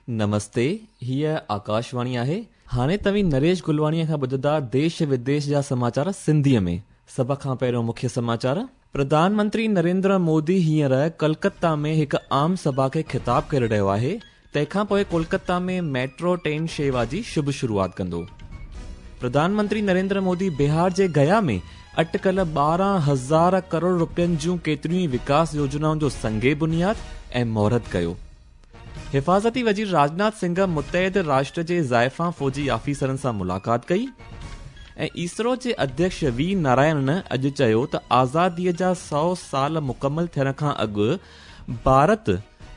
نمستي، هيء آڪاشواڻي آهي. هاڻي توهين نريش گلواڻيء کان ٻڌندا ديش وديش جا سماچار سنڌيء ۾. سڀ کان پهريون مکيه سماچار. پرڌان منتري نريندر مودي هينئر ڪلڪتا ۾ هڪ عام سڀا کي خطاب ڪري رهيو آهي. تنهن کان پوء ڪولڪتا ۾ ميٽرو ٽرين شيوا جي شڀ شروعات ڪندو. پرڌان منتري نريندر مودي بهار جي گيا ۾ اٽڪل 12,000 ڪروڙ رپين جون ڪيتريون ئي وڪاس يوجنائن جو سنگ بنياد ۽ مهورت ڪيو. حفاظتي وزير راجناٿ سنگهه متحد راشٽر جي زائفان فوجي آفيسرن سان ملاقات ڪئي ۽ اسرو جي اڌيڪش وي نارائڻن اڄ چيو ته آزاديء جا 100 سال مڪمل ٿيڻ کان اڳ ڀارت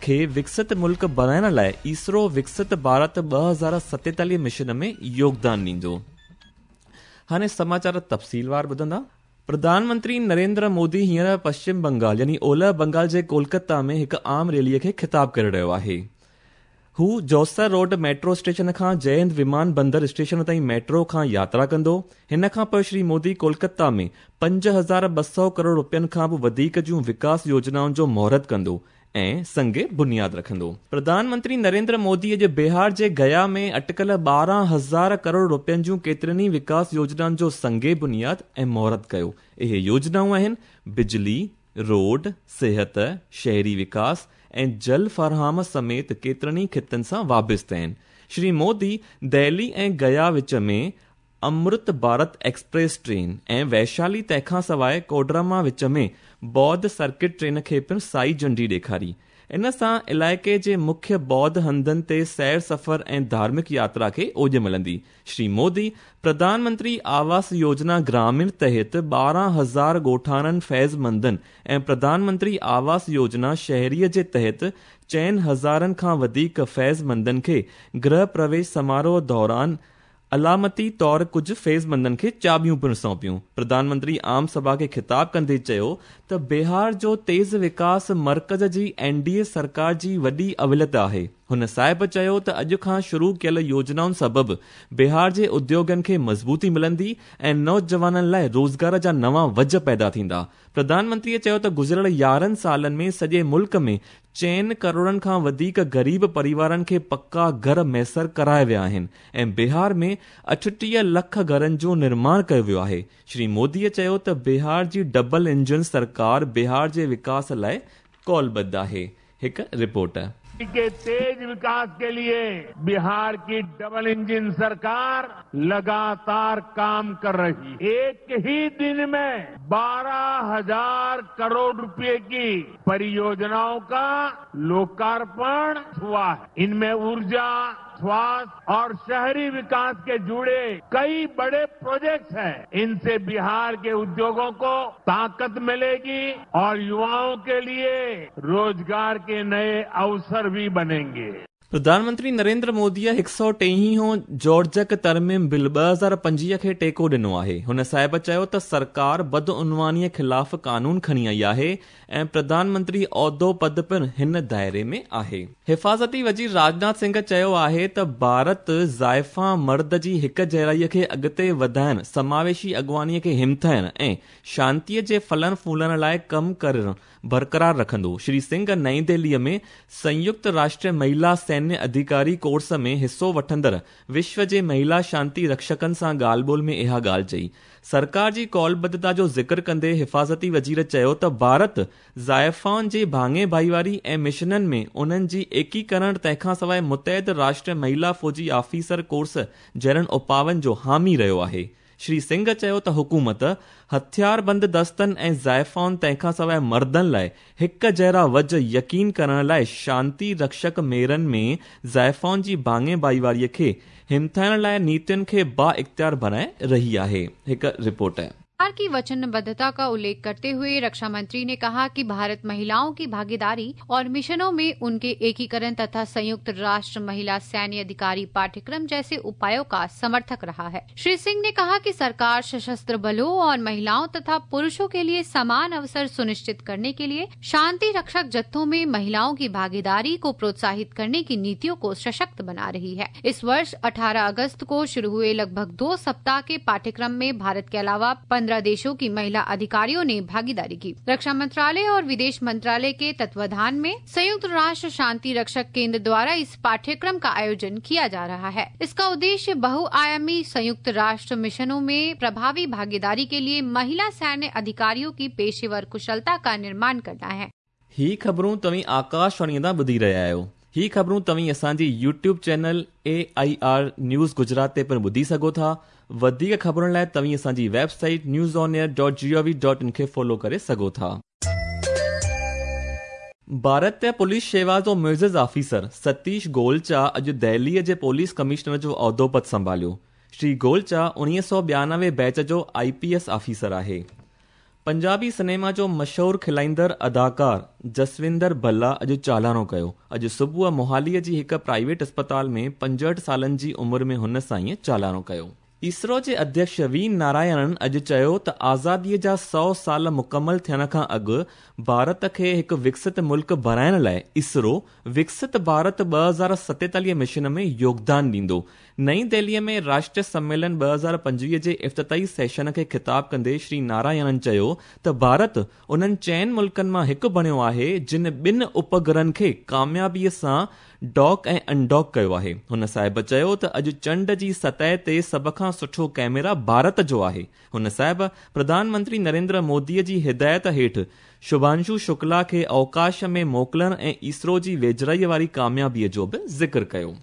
کي وڪست ملڪ بڻائڻ لاء اسرو وڪست ڀارت 2047 مشن ۾ يوگدان ڏيندو. هاڻي سماچار تفصيلوار ٻڌندا. پرڌان منتري نريندر مودي هينئر پشچم بنگال يعني اولهه بنگال جي ڪولڪتا ۾ هڪ عام ريليء کي خطاب ڪري رهيو آهي. هو جوسر روڊ ميٽرو اسٽيشن کان جئه هند ومان بندر اسٽيشن تائين ميٽرو کان ياترا ڪندو. هن کان پوء شري مودي ڪولڪتا ۾ 5200 ڪروڙ رپين کان به وڌيڪ جون وڪاس يوجنائن جو مهورت ڪندو ۽ سنگ بنياد رکندو. پرڌان منتري نريندر مودي اڄ بهار جي گيا ۾ اٽڪل 12,000 ڪروڙ رپين جون ڪيترين ئي وڪاس يوجنائن جو سنگ بنياد ۽ مهورت ڪيو. اهي يوجنائون آهن بجلي، روڊ، صحت، شهري وڪاس ۽ جل فراهم سميت ڪيترن ئي خطن سان وابسته آهن. شري مودي دهلي ۽ گيا وچ ۾ امرت ڀارت ايڪسپريس ٽرين ۽ ويشالي تنهن کان سواء ڪوڊرما وچ ۾ بوڌ سرڪٽ ٽرين کي پڻ سائي جهنڊي ڏيکاري. ان سان علائقي جي مکيه بوڌ هنڌن تي سير سفر ۽ ڌارمڪ ياترا کي اوڄ ملندي. شري مودي پرڌان منتري آواس يوجنا گراميڻ تحت 12,000 ڳوٺاڻن فيض مندن ۽ پرڌان منتري آواس يوجنا شهري جي تحت چئن هزارن کان وڌيڪ فيض مندن کي گرهه پرويش سماروهه دوران علامتي طور ڪجهه فيض مندن کي چاٻيون پڻ سونپيون. پرڌان منتري عام سڀا کي خطاب ڪندي چيو ته بهار جو تيز وڪاس مرڪز جي اين ڊي اي سرڪار جي وڏي اوليت آهي. هن صاحب چيو ته اڄ کان شروع ڪيل يوجنائن سبب بهار جي اديوگن کي مضبوطي ملندي ۽ نوجوانن لاء روزگار جا نوان وجهه پيدا ٿيندا. پرڌان منتري چيو ته گذريل 11 سالن ۾ سڄي ملڪ ۾ 4 ڪروڙن کان وڌيڪ غريب پريوارن کي پڪا گهر ميسر ڪرايا ويا آهن ۽ بهار ۾ 38 لک گهرن جو نرماڻ ڪيو ويو آهي. شري مودي چيو ته بهار جي ڊبل انجڻ سرڪار بهار جي وڪاس لاء قولبڌ آهي. هڪ رپورٽ. ڪي تيز وڪاس ڪي ليي بهار ڪي ڊبل انجن سرڪار لگاتار ڪام ڪر رهي. ايڪ هي دن مين 12,000 ڪروڙ روپئي ڪي परियोजनाओं का लोकार्पण हुआ है। इनमें ऊर्जा, स्वास्थ्य और शहरी विकास के जुड़े कई बड़े प्रोजेक्ट्स हैं। इनसे बिहार के उद्योगों को ताकत मिलेगी और युवाओं के लिए रोजगार के नए अवसर भी बनेंगे। پرڌان منتري نريندر موديء 123هون جوڙجڪ ترميم بل 2025 کي ٽيڪو ڏنو آهي. هن صاحب چيو ته سرڪار بدعنوانيء خلاف قانون کڻي آئي آهي ۽ پرڌان منتري عهدو پد پڻ هن دائري ۾ آهي. حفاظتي وزير راجناٿ سنگهه چيو آهي ته ڀارت زائفان مرد جي هڪ جهڙائي کي اڳتي وڌائڻ، سماويشي اڳواڻيء کي همٿائڻ ۽ شانتيء جي ڦلڻ ڦولڻ لاء ڪم ڪرڻ برقرار رکندو. شري سنگهه نئين دهليء ۾ سنيڪت راشٽر مهيلا سينيه اڌيڪاري ڪورس ۾ حصو وٺندڙ وشو جي مهيلا شانتي رڪشڪن سان ڳالهه ٻولهه ۾ اها ڳالهه چئي. سرڪار جي قولبڌتا جو ذڪر ڪندي حفاظتي وزير چيو ته ڀارت زائفائن جي ڀاڱي ڀائيواري ۽ مشنن ۾ انهن جي ايڪيڪرڻ تنهن کان سواء متحد راشٽر مهيلا فوجي آفيسر ڪورس جهڙن اپائن جو حامي رهيو آهي. شري سنگهه چيو ته حڪومت هٿياربند دستن ۽ زائفائن تنهن کان سواء مردن لاء هڪ جهڙا وجهه يقين ڪرڻ لاء شانتي رڪشڪ ميڙن ۾ زائفائن جي ڀاڱي ڀائيواري کي همٿائڻ لاء نيتين کي با اختيار بڻائي رهي آهي. هڪ رپورٽ. सरकार की वचनबद्धता का उल्लेख करते हुए रक्षा मंत्री ने कहा कि भारत महिलाओं की भागीदारी और मिशनों में उनके एकीकरण तथा संयुक्त राष्ट्र महिला सैन्य अधिकारी पाठ्यक्रम जैसे उपायों का समर्थक रहा है। श्री सिंह ने कहा कि सरकार सशस्त्र बलों और महिलाओं तथा पुरुषों के लिए समान अवसर सुनिश्चित करने के लिए शांति रक्षक जत्थों में महिलाओं की भागीदारी को प्रोत्साहित करने की नीतियों को सशक्त बना रही है। इस वर्ष 18 अगस्त को शुरू हुए लगभग 2 सप्ताह के पाठ्यक्रम में भारत के अलावा 15 15 देशों की महिला अधिकारियों ने भागीदारी की। रक्षा मंत्रालय और विदेश मंत्रालय के तत्वाधान में संयुक्त राष्ट्र शांति रक्षक केंद्र द्वारा इस पाठ्यक्रम का आयोजन किया जा रहा है। इसका उद्देश्य बहुआयामी संयुक्त राष्ट्र मिशनों में प्रभावी भागीदारी के लिए महिला सैन्य अधिकारियों की पेशेवर कुशलता का निर्माण करना है। ही ख़बरूं तव्हीं आकाशवाणीअ तां ॿुधी रहिया आहियो। ही ख़बरूं तव्हीं असांजी YouTube channel AIR news Gujarat ते पिणु ॿुधी सघो था। वधीक ख़बरुनि लाइ तव्हीं असांजी वेबसाइट newsonair.gov.in खे फॉलो करे सघो था। भारतीय पुलिस शेवा जो मुइज़ ऑफिसर सतीश गोलचा अॼु दिल्लीअ जे पुलिस कमिश्नर जो उहिदो पद संभालियो। श्री गोलचा 1992 बैच जो IPS officer आहे। पंजाबी सिनेमा जो मशहूर खिलाईंदड़ अदाकार जसविंदर भल्ला अॼु चालाणो कयो। अॼु सुबुह मोहालीअ जी हिकु प्राइवेट अस्पताल में 65 सालनि जी उमिरि में हुन साईं चालाणो कयो। इसरो जे अध्यक्ष वी नारायणन अॼु चयो त आज़ादीअ जा 100 साल मुकमल थियण खां अॻु भारत खे हिकु विकसित मुल्क बणाइण लाइ इसरो विकसित भारत 2047 मिशन में योगदान ॾींदो। नई दिल्लीअ में राष्ट्रीय सम्मेलन 2025 जे इफ़्तिताही सेशन खे ख़िताब कंदे श्री नारायणन चयो त भारत उन्हनि 4 मुल्कनि मां हिकु बणियो आहे जिन 2 उपग्रहनि खे कामयाबीअ सां डॉक ऐं अनडॉक कयो आहे। हुन साहिब चयो त अॼु चंड जी सतह ते सभ खां सुठो कैमरा भारत जो आहे। हुन साहिब प्रधानमंत्री नरेंद्र मोदीअ जी हिदायत हेठि शुभांशु शुक्ला खे अवकाश में मोकिलण ऐं इसरो जी वेझड़ाईअ वारी कामयाबीअ जो बि ज़िक्र कयो।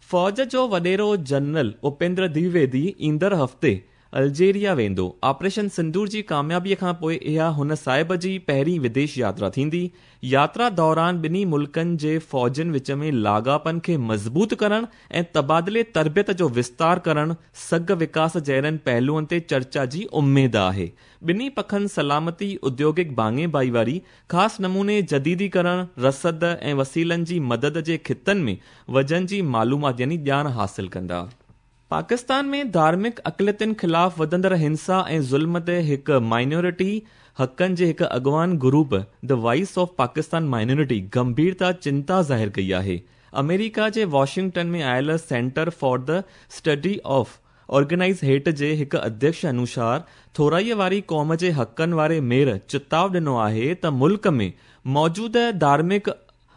फ़ौज जो वॾेरो जनरल उपेंद्र द्विवेदी ईंदड़ हफ़्ते अल्जेरिया वेंदो। ऑपरेशन सिंदूर जी कामयाबीअ खां पोइ इहा हुन साहिब जी पहिरीं विदेश यात्रा थींदी। यात्रा दौरान ॿिन्ही मुल्कनि जे फ़ौजनि विच में लाॻापनि खे मज़बूत करण ऐं तबादिले तरबियत जो विस्तार करण, सघ विकास जहिड़नि पहलुअनि ते चर्चा जी उमेद आहे। ॿिन्ही पखनि सलामती, उद्योगिक भाङे भाईवारी, ख़ासि नमूने जदीदीकरण, रसद ऐं वसीलनि जी मदद जे ख़ितनि में वज़न जी मालूमात यानी ॼाण हासिल कंदा। पाकिस्तान में धार्मिक अक़लियतुनि ख़िलाफ़ वधंदड़ हिंसा ऐं ज़ुल्म ते हिकु माइनॉरिटी हक़नि जे हिकु अॻवान group the voice of Pakistan minority गंभीरता चिंता ज़ाहिर कई आहे। अमेरिका जे वॉशिंगटन में आयल centre for the study of organise hate जे हिकु अध्यक्ष अनुसार थोराईअ वारी क़ौम जे हक़नि वारे मेर चिताव ॾिनो आहे त मुल्क में मौजूद धार्मिक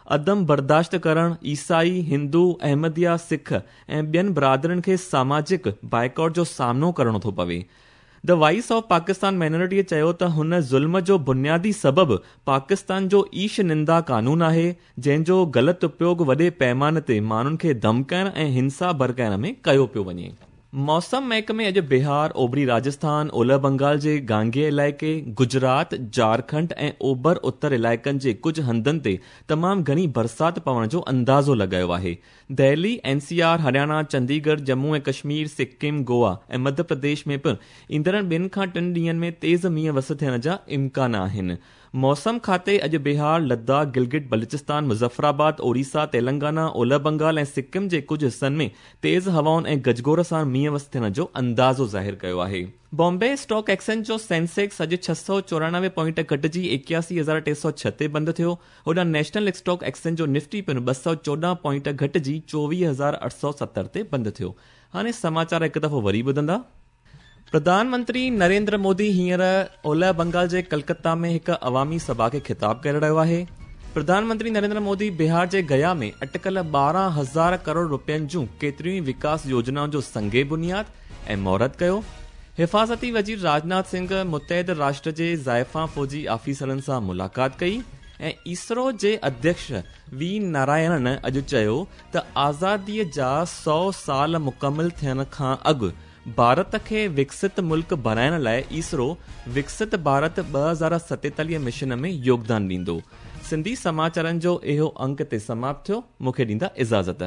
अदम बर्दाश्त करण, ईसाई, हिंदू, अहमदिया, सिख ऐं ॿियनि बिरादरियुनि खे सामाजिक बाइकॉट जो सामनो करिणो थो पवे। The voice of Pakistan माइनॉरिटीअ चयो त हुन ज़ुल्म जो बुनियादी सबबु पाकिस्तान जो ईश निंदा कानून आहे, जंहिंजो ग़लति उपयोग वॾे पैमाने ते माण्हुनि खे धमकाइण ऐं हिंसा भड़काइण में कयो पियो वञे। मौसम महकमे अॼु बिहार, ओभरी राजस्थान, ओलह बंगाल जे गांगेय इलाइक़े, गुजरात, झारखंड ऐं ओभर उत्तर इलाइक़नि जे कुझु हंधनि ते तमामु घणी बरसाति पवण जो अंदाज़ो लॻायो आहे। Delhi, NCR, Haryana, Chandigarh, Jammu ऐं कश्मीर, सिक्किम, गोवा ऐं मध्य प्रदेश में पिणु ईंदड़ 2 खां 3 ॾींहंनि में तेज़ मींहुं वस थियण जा इम्कान आहिनि। मौसम खाते अॼु बिहार, लद्दाख, गिलगिट बलूचिस्तान, मुज़फ़राबाद, ओडिशा, तेलंगाना, ओलह बंगाल ऐं सिक्किम जे कुझु हिसनि में तेज़ हवाउनि ऐं गजगोर सां मींहुं वस थियण जो अंदाज़ो ज़ाहिर कयो आहे। बॉम्बे स्टॉक एक्सचेंज जो सेंसेक्स अॼु 694 पॉइंट घटिजी 81,306 ते बंदि थियो। होॾां नेशनल स्टॉक एक्सचेंज जो निफ्टी पिणु 214 पॉइंट घटिजी 24,870 ते बंदि थियो। हाणे समाचार हिकु दफ़ो वरी ॿुधंदा। प्रधानमंत्री नरेंद्र मोदी हींअर ओलह बंगाल जे कलकत्ता में हिकु अवामी सभा खे ख़िताब करे रहियो आहे। प्रधानमंत्री नरेंद्र मोदी बिहार जे गया में अटकल 12,000 करोड़ रुपयनि जूं केतिरियूं ई विकास योजनाउनि जो संगे बुनियाद ऐं मुहूर्त कयो। हिफाज़ती वज़ीर राजनाथ सिंह मुतहद राष्ट्र जे ज़ाइफ़ा फ़ौजी ऑफिसरनि सां मुलाक़ात कई ऐं इसरो जे अध्यक्ष वी नारायणन अॼु चयो त आज़ादीअ जा 100 साल मुकमल थियण खां अॻु भारत खे विकसित मुल्क बणाइण लाइ इसरो विकसित भारत 2047 मिशन में योगदान ॾींदो। सिंधी समाचारनि जो इहो अंक ते समाप्त थियो। मूंखे ॾींदा इजाज़त।